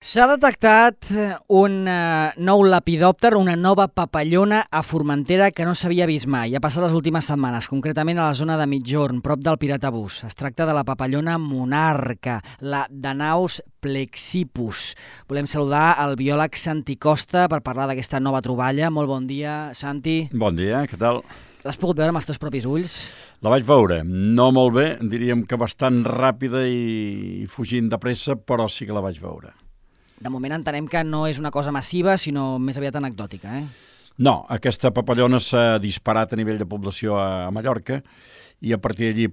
S'ha detectat un nou lepidòpter, una nova papallona a Formentera que no s'havia vist mai. Ha passat les últimes setmanes, concretament a la zona de Migjorn, prop del Piratbús. Es tracta de la papallona monarca, la Danaus plexippus. Volem saludar el biòleg Santi Costa per parlar d'aquesta nova troballa. Molt bon dia, Santi. Bon dia, què tal? L'has pogut veure amb els teus propis ulls? La vaig veure, no molt bé, diríem que bastant ràpida i fugint de pressa, però sí que la vaig veure. De moment entenem que no és una cosa massiva, sinó més aviat anecdòtica, eh? No, aquesta papallona s'ha disparat a nivell de població a Mallorca i a partir d'allí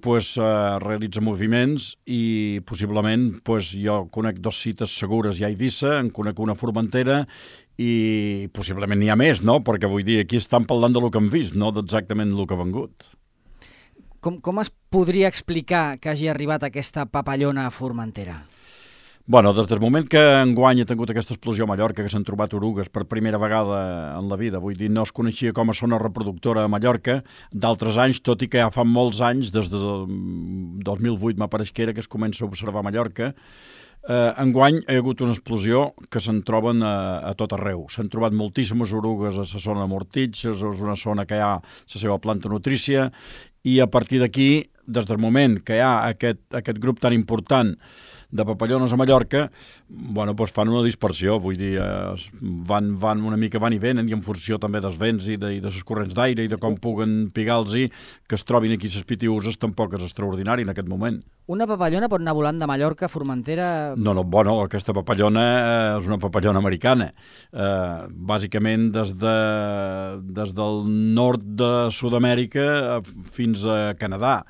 realitza moviments i possiblement jo conec 2 cites segures ja a Eivissa, en conec una a Formentera i possiblement n'hi ha més, no? Perquè vull dir, aquí estan parlant del que hem vist, no d'exactament el que ha vengut. Com es podria explicar que hagi arribat aquesta papallona a Formentera? Bueno, des del moment que enguany ha tingut aquesta explosió a Mallorca, que s'han trobat orugues per primera vegada en la vida, vull dir, no es coneixia com a zona reproductora a Mallorca d'altres anys, tot i que ja fa molts anys, des del 2008 m'apareix que era, que es comença a observar a Mallorca. Enguany hi ha hagut una explosió que se'n troben a tot arreu. S'han trobat moltíssimes orugues a la zona de Mortitx, és una zona que hi ha la seva planta nutrícia, i a partir d'aquí, des del moment que hi ha aquest grup tan important de papallones a Mallorca, fan una dispersió, vull dir, van una mica van i venen, i en funció també dels vents i de les corrents d'aire i de com puguen pigar-los, que es trobin aquí les pitiuses, tampoc és extraordinari en aquest moment. Una papallona pot anar volant de Mallorca a Formentera? No, aquesta papallona és una papallona americana. Bàsicament des del nord de Sud-amèrica fins a Canadà.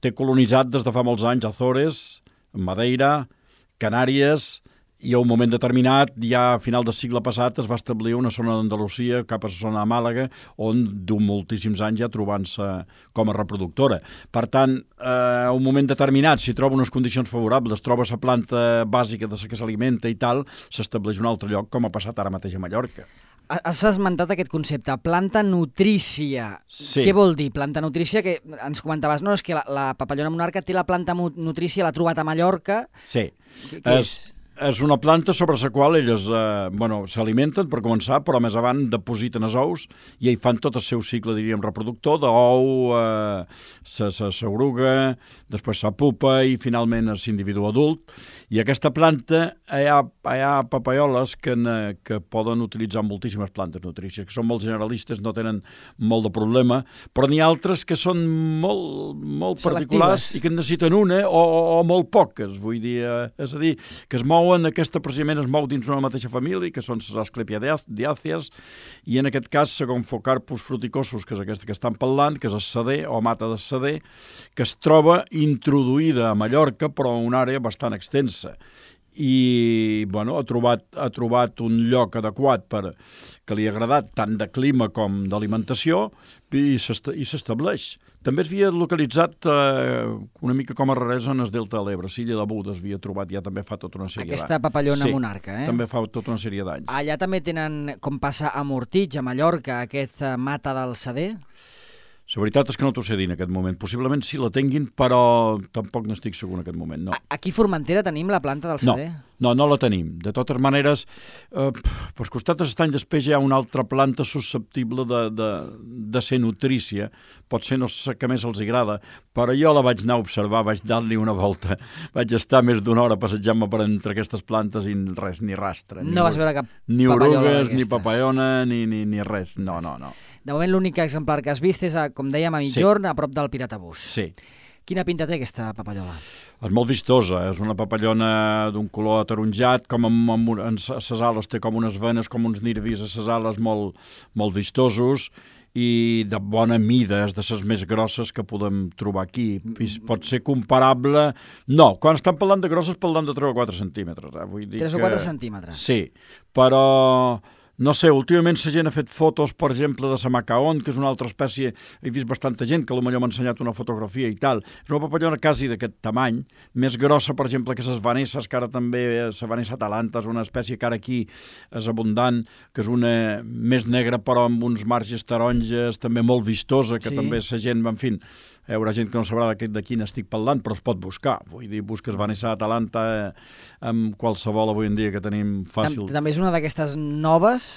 Té colonitzat des de fa molts anys Azores, Madeira, Canàries, i a un moment determinat, ja a final del segle passat, es va establir una zona d'Andalusia, cap a la zona de Màlaga, on du moltíssims anys ja trobant-se com a reproductora. Per tant, a un moment determinat, si troba unes condicions favorables, troba la planta bàsica de la que s'alimenta i tal, s'estableix un altre lloc, com ha passat ara mateix a Mallorca. Has esmentat aquest concepte, planta nutrícia. Sí. Què vol dir planta nutrícia? Que ens comentaves, no, és que la papallona monarca té la planta nutrícia, l'ha trobat a Mallorca. Sí. Què és? És una planta sobre la qual elles s'alimenten, per començar, però més avant depositen els ous i hi fan tot el seu cicle, diríem, reproductor, d'ou, s'oruga, després la pupa i finalment l'individu adult. I aquesta planta, hi ha papaioles que poden utilitzar moltíssimes plantes nutrícies, que són molt generalistes, no tenen molt de problema, però n'hi ha altres que són molt particulars i que en necessiten una o molt poques, vull dir, és a dir, que es mouen, aquesta precisament es mou dins una mateixa família, que són les Asclepiadiàcies, i en aquest cas, segons Focarpus fruticosus, que és aquesta que estan parlant, que és el seder o mata de seder, que es troba introduïda a Mallorca, però en una àrea bastant extensa. I ha trobat un lloc adequat que li ha agradat tant de clima com d'alimentació i s'estableix. També es havia localitzat una mica com a raresa en el delta de l'Ebre, Silla de Buda es havia trobat ja també fa tota una sèrie d'anys. Aquesta papallona monarca, eh? També fa tota una sèrie d'anys. Allà també tenen, com passa a Mortitx, a Mallorca, aquest mata del seder? La veritat és que no t'ho sé dir en aquest moment. Possiblement sí la tinguin, però tampoc n'estic segur en aquest moment, no. Aquí a Formentera tenim la planta del seder? No la tenim. De totes maneres, per costat d'estany després hi ha una altra planta susceptible de ser nutrícia. Potser no sé què més els agrada, però jo la vaig anar a observar, vaig dar-li una volta. Vaig estar més d'una hora passejant-me per entre aquestes plantes i res, ni rastre. No vas veure cap ni orugues, ni papallona, ni res. No. De moment l'únic exemplar que has vist és, com dèiem, a Migjorn, a prop del Piratbús. Sí. Quina pinta té aquesta papallola? És molt vistosa, és una papallona d'un color ataronjat, com en ses ales té com unes venes, com uns nervis a ses ales molt vistosos i de bona mida, és de les més grosses que podem trobar aquí. Pot ser comparable... No, quan estan parlant de grosses parlant de 3 o 4 centímetres. Vull dir 3 o 4 centímetres? Sí, però... No sé, últimament la gent ha fet fotos, per exemple, de la macaon, que és una altra espècie, he vist bastanta gent que potser m'ha ensenyat una fotografia i tal. És una papallona quasi d'aquest tamany, més grossa, per exemple, que les vanesses, que ara també, la vanessa atalanta és una espècie que ara aquí és abundant, que és una més negra però amb uns marges taronges, també molt vistosa, que també la gent, en fi, Hi haurà gent que no sabrà de quin estic parlant, però es pot buscar. Vull dir, busques Vanessa Atalanta amb qualsevol avui en dia que tenim fàcil. També és una d'aquestes noves?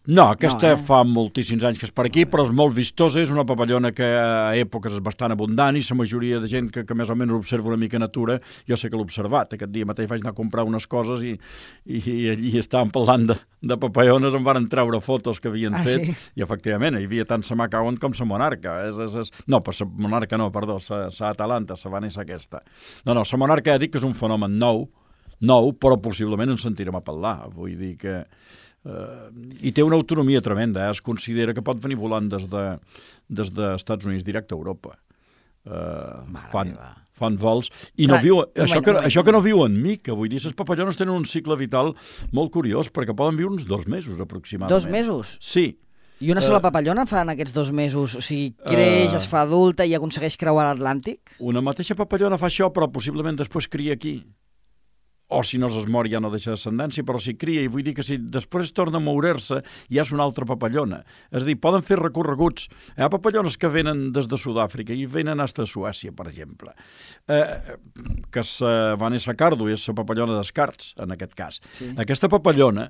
No, aquesta fa moltíssims anys que és per aquí, però és molt vistosa, és una papallona que a èpoques és bastant abundant i la majoria de gent que més o menys observa una mica natura, jo sé que l'he observat. Aquest dia mateix vaig anar a comprar unes coses i allí estàvem parlant de papallones, em van treure fotos que havien fet, sí? I efectivament hi havia tant la Macaon com la Monarca. No, per la Monarca no, perdó, la Atalanta, la Vanessa aquesta. No, la Monarca ja dic que és un fenomen nou, però possiblement en sentirem a parlar. Vull dir que i té una autonomia tremenda, es considera que pot venir volant des d'Estats Units directe a Europa. Fan vols i no viuen, això que no viuen mica, vull dir, les papallones tenen un cicle vital molt curiós perquè poden viure uns 2 mesos aproximadament. 2 mesos? Sí. I una sola papallona fa en aquests 2 mesos? O sigui, creix, es fa adulta i aconsegueix creuar l'Atlàntic? Una mateixa papallona fa això, però possiblement després cria aquí. O si no es mor ja no deixa descendència, però si cria, i vull dir que si després torna a moure-se ja és una altra papallona. És a dir, poden fer recorreguts. Hi ha papallones que venen des de Sud-àfrica i venen fins a Suècia, per exemple. Que Vanessa Cardo és la papallona d'Escarts, en aquest cas. Sí. Aquesta papallona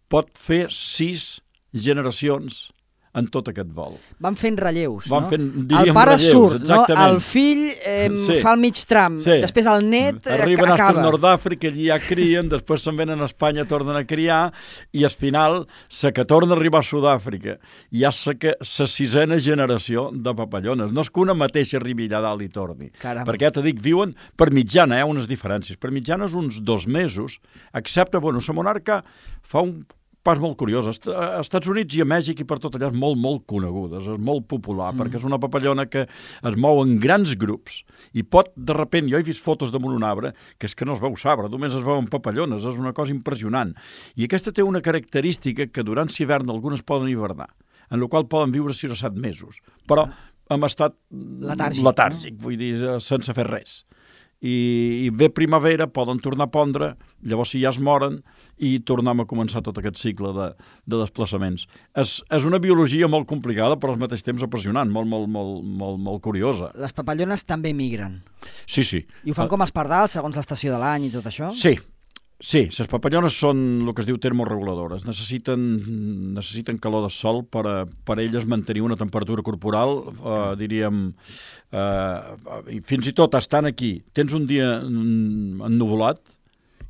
pot fer 6 generacions en tot aquest vol. Van fent relleus, no? El pare relleus, surt, exactament. No? El fill fa el mig tram, després el net arriben acaba. Arriben a Nord-Àfrica, allí ja crien, després se'n venen a Espanya, tornen a criar, i al final, la que torna a arribar a Sud-àfrica, ja és la 6a generació de papallones. No és que una mateixa arribi allà dalt i torni. Caram. Perquè, te dic, viuen per mitjana, unes diferències. Per mitjana és uns 2 mesos, excepte, la Monarca fa un pas molt curiós. Als Estats Units i a Mèxic i per tot allà és molt, molt coneguda, és molt popular, perquè és una papallona que es mou en grans grups i pot, de repent, jo he vist fotos damunt un arbre, que és que no es veu sabre, només es veuen papallones, és una cosa impressionant. I aquesta té una característica que durant l'hivern algunes poden hivernar, en la qual poden viure 6 o 7 mesos, però en estat letàrgic, vull dir, sense fer res. I ve primavera, poden tornar a pondre, llavors si ja es moren i tornem a començar tot aquest cicle de desplaçaments. És una biologia molt complicada, però al mateix temps apassionant, molt curiosa. Les papallones també migren. Sí, sí. I ho fan com els pardals, segons l'estació de l'any i tot això? Sí, les papallones són el que es diu termorreguladores. Necessiten calor de sol per elles mantenir una temperatura corporal, diríem, fins i tot estan aquí. Tens un dia ennuvolat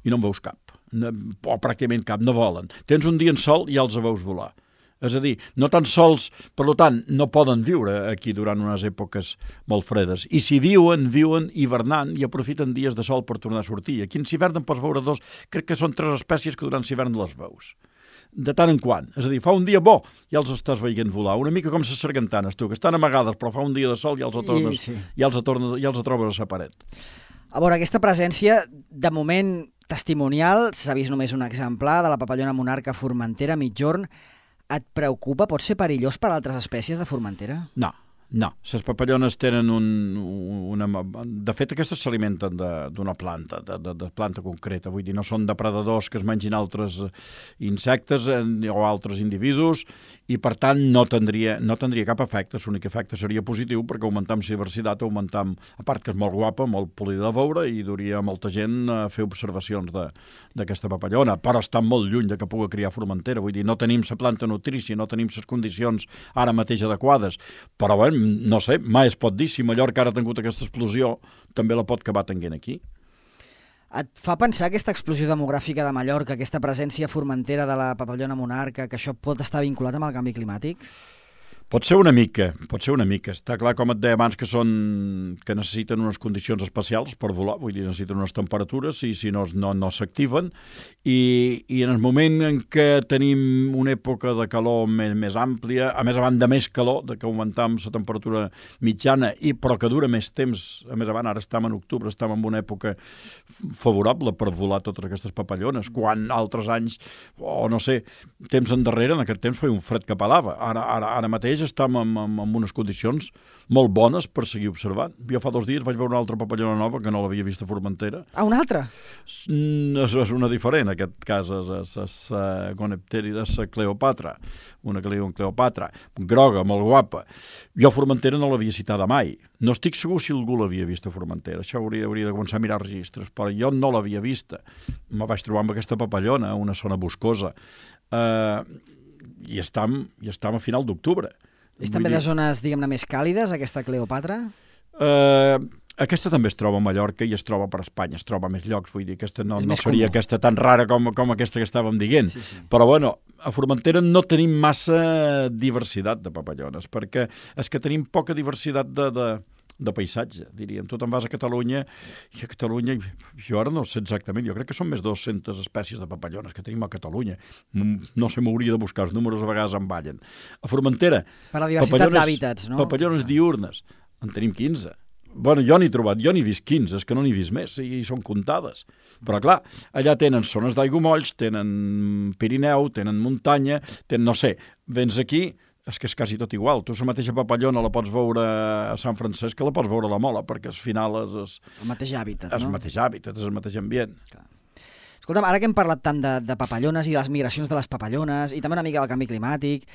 i no en veus cap, o pràcticament cap, no volen. Tens un dia en sol i ja els veus volar. És a dir, no tan sols, per tant, no poden viure aquí durant unes èpoques molt fredes. I si viuen hivernant i aprofiten dies de sol per tornar a sortir. Aquí en l'hivern en pots veure 2, crec que són 3 espècies que durant l'hivern les veus. De tant en quant. És a dir, fa un dia bo, ja els estàs veient volar. Una mica com les sargantanes, tu, que estan amagades, però fa un dia de sol i ja els trobes a la paret. A veure, aquesta presència, de moment testimonial, s'ha vist només un exemplar de la papallona monarca Formentera mitjorn. Et preocupa? Pot ser perillós per altres espècies de Formentera? No. Les papallones tenen De fet, aquestes s'alimenten d'una planta, de planta concreta. Vull dir, no són depredadors que es mengin altres insectes o altres individus i, per tant, no tindria cap efecte. L'únic efecte seria positiu perquè augmentam la diversitat, a part que és molt guapa, molt polida de veure i duria molta gent a fer observacions d'aquesta papallona, però està molt lluny de que pugui criar Formentera. Vull dir, no tenim la planta nutrícia, no tenim les condicions ara mateix adequades, però bé, no sé, mai es pot dir, si Mallorca ara ha tingut aquesta explosió, també la pot acabar tenint aquí. Et fa pensar aquesta explosió demogràfica de Mallorca, aquesta presència formentera de la papallona monarca, que això pot estar vinculat amb el canvi climàtic? Pot ser una mica. Està clar, com et deia abans, que necessiten unes condicions especials per volar, vull dir, necessiten unes temperatures i si no s'activen. I en el moment en què tenim una època de calor més àmplia, a més a banda més calor, de que augmentam la temperatura mitjana, però que dura més temps, a més a banda, ara estem en octubre, estem en una època favorable per volar totes aquestes papallones, quan altres anys, o no sé, temps endarrere, en aquest temps feia un fred que pelava. Ara mateix mateix estem en unes condicions molt bones per seguir observant. Jo fa 2 dies vaig veure una altra papallona nova que no l'havia vist a Formentera. Ah, una altra? És una diferent, en aquest cas és Gonepterida, és Cleopatra, una que li diuen Cleopatra, groga, molt guapa. Jo a Formentera no l'havia citada mai. No estic segur si algú l'havia vist a Formentera. Això hauria de començar a mirar registres, però jo no l'havia vista. Me vaig trobar amb aquesta papallona, una zona boscosa. I estem a final d'octubre. És també de zones, diguem-ne, més càlides, aquesta Cleopatra? Aquesta també es troba a Mallorca i es troba per Espanya, es troba a més llocs, vull dir, aquesta no seria aquesta tan rara com aquesta que estàvem dient. Sí. Però bueno, a Formentera no tenim massa diversitat de papallones, perquè és que tenim poca diversitat de paisatge, diríem. Tu te'n vas a Catalunya, i a Catalunya, jo ara no sé exactament, jo crec que són més de 200 espècies de papallones que tenim a Catalunya. No sé, m'hauria de buscar, els números a vegades em ballen. A Formentera, per la diversitat d'hàbitats, no? Papallones diurnes, en tenim 15. Bueno, jo n'he trobat, jo n'he vist 15, és que no n'he vist més, i són comptades. Però clar, allà tenen zones d'aiguamolls, tenen Pirineu, tenen muntanya, no sé, vens aquí, és que és quasi tot igual. Tu la mateixa papallona la pots veure a Sant Francesc que la pots veure a la Mola, perquè al final és el mateix hàbitat, no? És el mateix hàbitat, és el mateix ambient. Clar. Escolta'm, ara que hem parlat tant de papallones i de les migracions de les papallones i també una mica del canvi climàtic,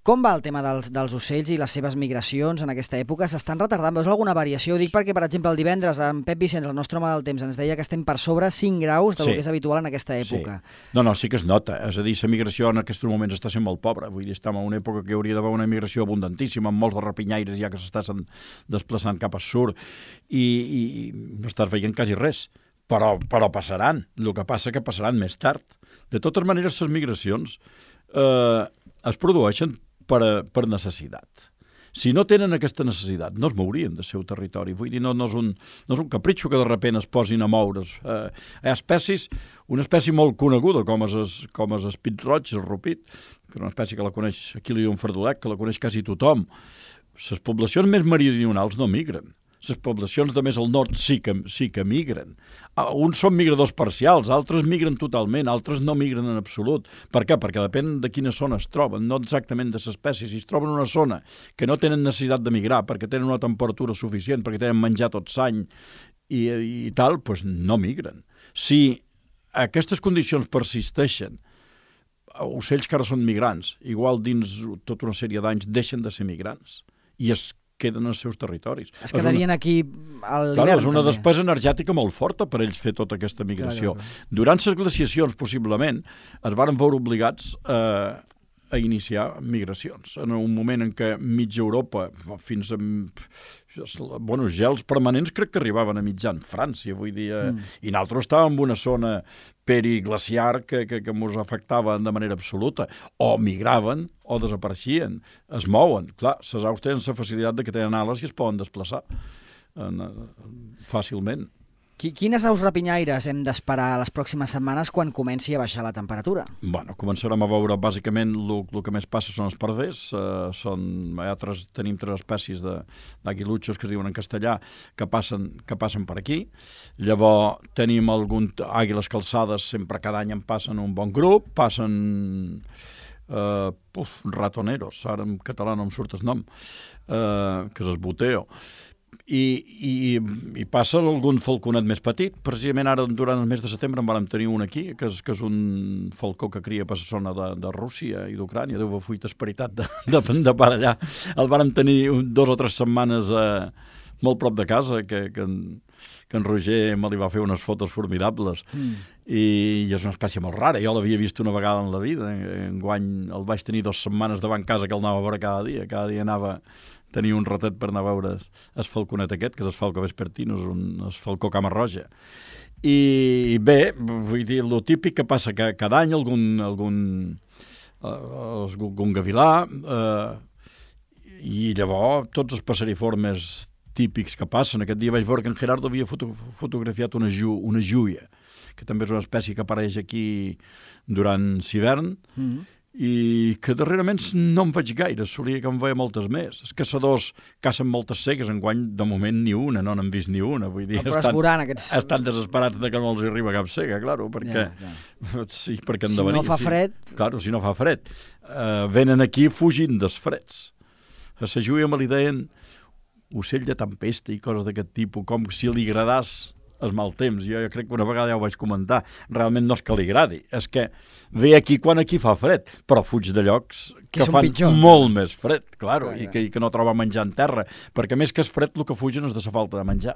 com va el tema dels ocells i les seves migracions en aquesta època? S'estan retardant? Veus alguna variació? Ho dic perquè, per exemple, el divendres en Pep Vicenç, el nostre home del temps, ens deia que estem per sobre 5 graus del que és habitual en aquesta època. Sí. No, sí que es nota. És a dir, la migració en aquests moments està sent molt pobra. Vull dir, estem en una època que hauria d'haver una migració abundantíssima, amb molts de rapinyaires ja que s'estan desplaçant cap al sud i no estàs veient quasi res. Però passaran. El que passa que passaran més tard. De totes maneres, les migracions es produeixen per necessitat. Si no tenen aquesta necessitat, no es mourien del seu territori. Vull dir, no és un capritxo que de repent es posin a moure's. Hi ha espècies, una espècie molt coneguda com és el pit roig, el rupit, que és una espècie que la coneix, aquí li diuen fardolec, que la coneix quasi tothom. Les poblacions més meridionals no migren. Les poblacions de més al nord sí que migren. Uns són migradors parcials, altres migren totalment, altres no migren en absolut. Per què? Perquè depèn de quina zona es troben, no exactament de l'espècie. Si es troben en una zona que no tenen necessitat de migrar, perquè tenen una temperatura suficient, perquè tenen menjar tot l'any i tal, doncs no migren. Si aquestes condicions persisteixen, ocells que ara són migrants, igual dins tota una sèrie d'anys deixen de ser migrants i es queden als seus territoris. Es quedarien aquí a l'hivern. Clar, és una despesa energètica molt forta per ells fer tota aquesta migració. Clar. Durant les glaciacions, possiblement, es varen veure obligats a iniciar migracions. En un moment en què mitja Europa, fins a gels permanents, crec que arribaven a mitjan França, vull dir, i nosaltres estàvem en una zona periglaciar que ens afectava de manera absoluta. O migraven o desapareixien, es mouen. Clar, les aus tenen la facilitat de que tenen ales i es poden desplaçar fàcilment. Quines aus rapinyaires hem d'esperar les pròximes setmanes quan comenci a baixar la temperatura? Bueno, començarem a veure, bàsicament, el que més passa són els parders. Tenim 3 espècies d'aguilutxos que es diuen en castellà que passen per aquí. Llavors tenim àguiles calçades, sempre cada any en passen un bon grup, passen ratoneros, ara en català no em surt el nom, que és el boteo. I passa algun falconet més petit. Precisament ara, durant el mes de setembre, en vam tenir un aquí, que és un falcó que cria per la zona de Rússia i d'Ucrània. Déu va fuita esperitat de per allà. El vam tenir 2 o 3 setmanes molt prop de casa, que en Roger me li va fer unes fotos formidables. I és una espècie molt rara. Jo l'havia vist una vegada en la vida. Enguany el vaig tenir 2 setmanes davant casa, que el anava a veure cada dia. Cada dia tenia un ratet per anar a veure el falconet aquest, que és el falco vespertino, és el falcó cama roja. I bé, vull dir, el típic que passa que cada any algun gavilà, i llavors tots els passeriformes típics que passen. Aquest dia vaig veure que en Gerardo havia fotografiat una júia, que també és una espècie que apareix aquí durant l'hivern, i que darrerament no en veig gaire, solia que en veia moltes més. Els caçadors cacen moltes cegues, enguany de moment ni una, no n'han vist ni una. Vull dir, estan desesperats de que no els arriba cap cega, claro, perquè sí, perquè si no fa fred... Claro, si no fa fred. Venen aquí fugint dels freds. A la Júlia me li deien ocell de tempesta i coses d'aquest tipus, com si li agradàs el mal temps. Jo crec que una vegada ja ho vaig comentar. Realment no és que li agradi, és que ve aquí quan aquí fa fred, però fuig de llocs que fan pitjor, molt més fred, claro, i que no troba menjar en terra, perquè més que és fred el que fugen és de la falta de menjar.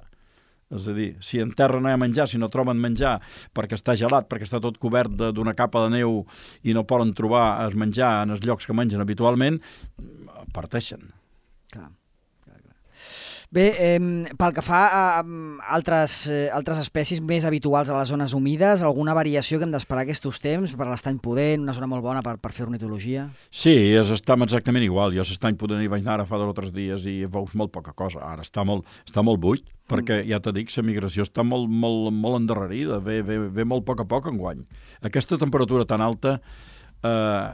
És a dir, si en terra no hi ha menjar, si no troben menjar perquè està gelat, perquè està tot cobert d'una capa de neu i no poden trobar el menjar en els llocs que mengen habitualment, parteixen. Clar. Bé, pel que fa a altres espècies més habituals a les zones humides, alguna variació que hem d'esperar aquests temps per l'estany pudent, una zona molt bona per fer ornitologia? Sí, estem exactament igual. Jo l'estany pudent hi vaig anar ara fa 2 o 3 dies i veus molt poca cosa. Ara està molt buit, perquè ja t'he dit, la migració està molt endarrerida, ve molt a poc enguany. Aquesta temperatura tan alta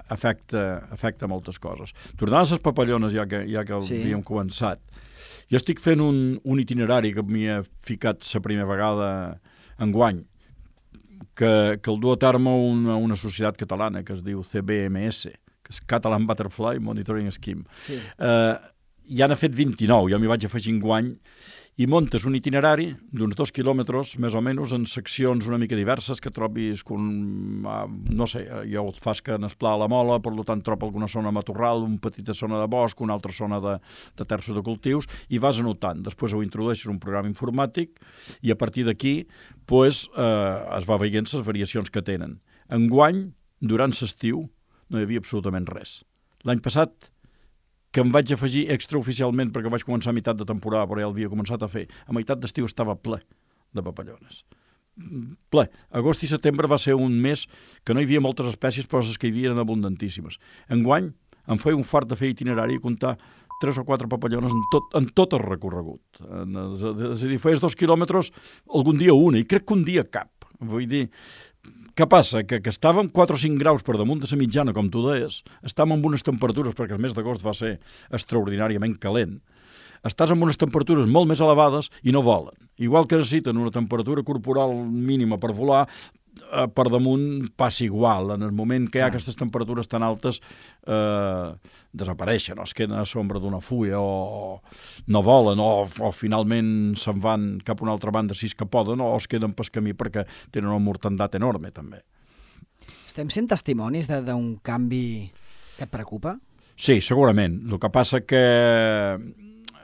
afecta moltes coses. Tornant a les papallones, ja que havíem començat, jo estic fent un itinerari que m'hi he ficat la primera vegada enguany, que el du a terme una societat catalana que es diu CBMS, que és Catalan Butterfly Monitoring Scheme. Sí. Ja n'ha fet 29, jo m'hi vaig afegir enguany, i muntes un itinerari d'uns 2 quilòmetres, més o menys, en seccions una mica diverses, que trobis, no sé, jo el fas que n'esplà la mola, per tant trobo alguna zona matorral, una petita zona de bosc, una altra zona de terços de cultius, i vas anotant. Després ho introdueixes un programa informàtic i a partir d'aquí es va veient les variacions que tenen. Enguany, durant l'estiu, no hi havia absolutament res. L'any passat, que em vaig afegir extraoficialment perquè vaig començar a meitat de temporada, però ja l'havia començat a fer. A meitat d'estiu estava ple de papallones. Ple. Agost i setembre va ser un mes que no hi havia moltes espècies, però les que hi havia eren abundantíssimes. Enguany em feia un fart de fer itinerari i comptar 3 o 4 papallones en tot el recorregut. És a dir, feies 2 quilòmetres, algun dia una, i crec que un dia cap. Vull dir, què passa? Que estàvem 4 o 5 graus per damunt de la mitjana, com tu deies, estàvem amb unes temperatures, perquè el mes d'agost va ser extraordinàriament calent, estàs amb unes temperatures molt més elevades i no volen. Igual que necessiten una temperatura corporal mínima per volar, per damunt passa igual. En el moment que hi ha aquestes temperatures tan altes, desapareixen, o es queden a l'ombra d'una fulla, o no volen, o finalment se'n van cap a una altra banda si és que poden, o es queden pel camí perquè tenen una mortandat enorme, també. Estem sent testimonis d'un canvi que et preocupa? Sí, segurament. El que passa que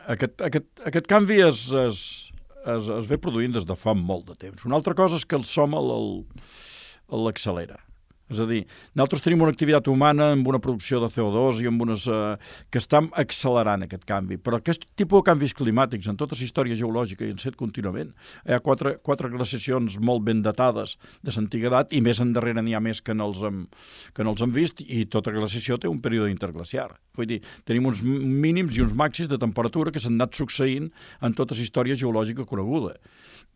aquest canvi es ve produint des de fa molt de temps. Una altra cosa és que el som l'accelera. És a dir, nosaltres tenim una activitat humana amb una producció de CO2 i amb unes que estan accelerant aquest canvi. Però aquest tipus de canvis climàtics, en tota la història geològica i en set contínuament, hi ha quatre glaciacions molt ben datades de l'antiguitat i més endarrere n'hi ha més que no els hem vist, i tota glaciació té un període interglaciar. Vull dir, tenim uns mínims i uns màxims de temperatura que s'han anat succeint en tota la història geològica coneguda.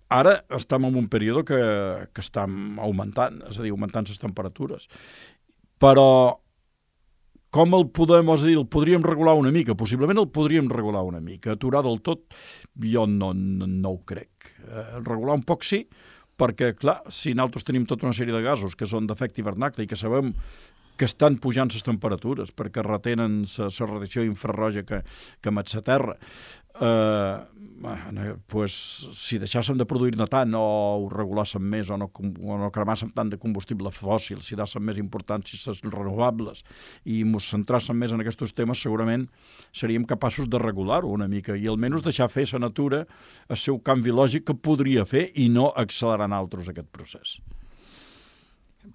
Ara estem en un període que estem augmentant, és a dir, augmentant les temperatures. Però com el podríem regular una mica? Possiblement el podríem regular una mica. Aturar del tot, jo no ho crec. Regular un poc sí, perquè, clar, si nosaltres tenim tota una sèrie de gasos que són d'efecte hivernacle i que sabem que estan pujant les temperatures perquè retenen la radiació infrarroja que emet la Terra, si deixàssim de produir-ne tant o ho regulàssim més o no cremàssim tant de combustible fòssil, si dàssim més importància les renovables i ens centràssim més en aquests temes, segurament seríem capaços de regular-ho una mica i almenys deixar fer la natura el seu canvi lògic que podria fer i no accelerar en altres aquest procés.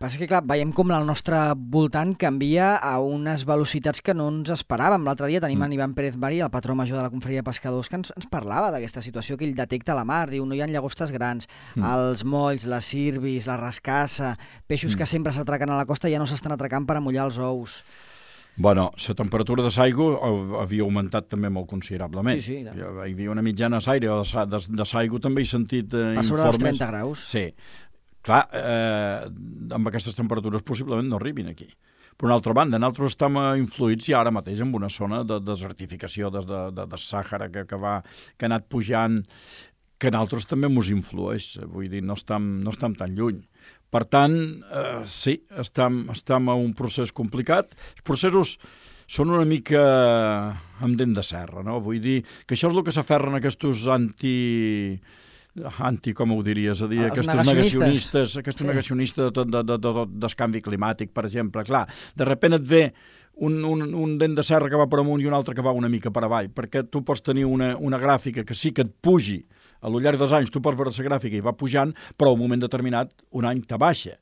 Passa que, clar, veiem com el nostre voltant canvia a unes velocitats que no ens esperàvem. L'altre dia tenim en Ivan Pérez Bari, el patró major de la Confraria de Pescadors, que ens parlava d'aquesta situació que ell detecta a la mar. Diu, no hi ha llagostes grans, els molls, les sirbis, la rascassa, peixos que sempre s'atraquen a la costa ja no s'estan atracant per amollar els ous. Bueno, la temperatura de l'aigua havia augmentat també molt considerablement. Sí. Hi havia una mitjana d'aire o de l'aigua, també he sentit informes. Per sobre dels 30 graus. Sí. Clar, amb aquestes temperatures possiblement no arribin aquí. Per una altra banda, nosaltres estem influïts ja ara mateix en una zona de desertificació de Sàhara que ha anat pujant, que a nosaltres també ens influeix, vull dir, no estem tan lluny. Per tant, sí, estem en un procés complicat. Els processos són una mica amb dent de serra, no? Vull dir que això és el que s'aferren aquests com ho diries, a dir, aquests negacionistes del canvi climàtic, per exemple. Clar, de sobte et ve un dent de serra que va per amunt i un altre que va una mica per avall, perquè tu pots tenir una gràfica que sí que et pugi, a lo llarg dels anys tu pots veure la gràfica i va pujant, però a un moment determinat un any te baixa.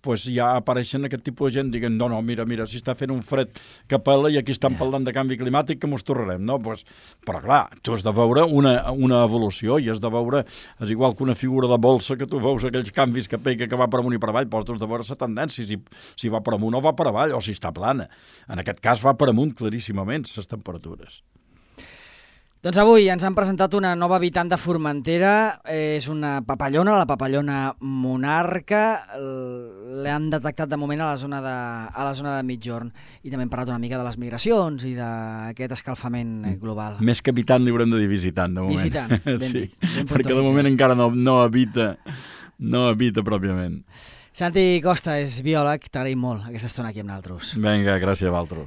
Pues ja apareixen aquest tipus de gent dient, no, mira, si està fent un fred que pela i aquí estan parlant de canvi climàtic que mos torrarem, no? Pues, però clar, tu has de veure una evolució i has de veure, és igual que una figura de bolsa que tu veus aquells canvis que pega que va per amunt i per avall, però has de veure la tendència, si va per amunt o va per avall, o si està plana. En aquest cas va per amunt claríssimament, les temperatures. Doncs avui ens han presentat una nova habitant de Formentera, és una papallona, la papallona monarca, l'han detectat de moment a la zona de migjorn, i també hem parlat una mica de les migracions i d'aquest escalfament global. Més que habitant li haurem de dir visitant, de moment. Visitant, ben sí, dit. Ben perquè de moment encara no habita pròpiament. Santi Costa és biòleg, t'agraïm molt aquesta estona aquí amb nosaltres. Vinga, gràcies a vosaltres.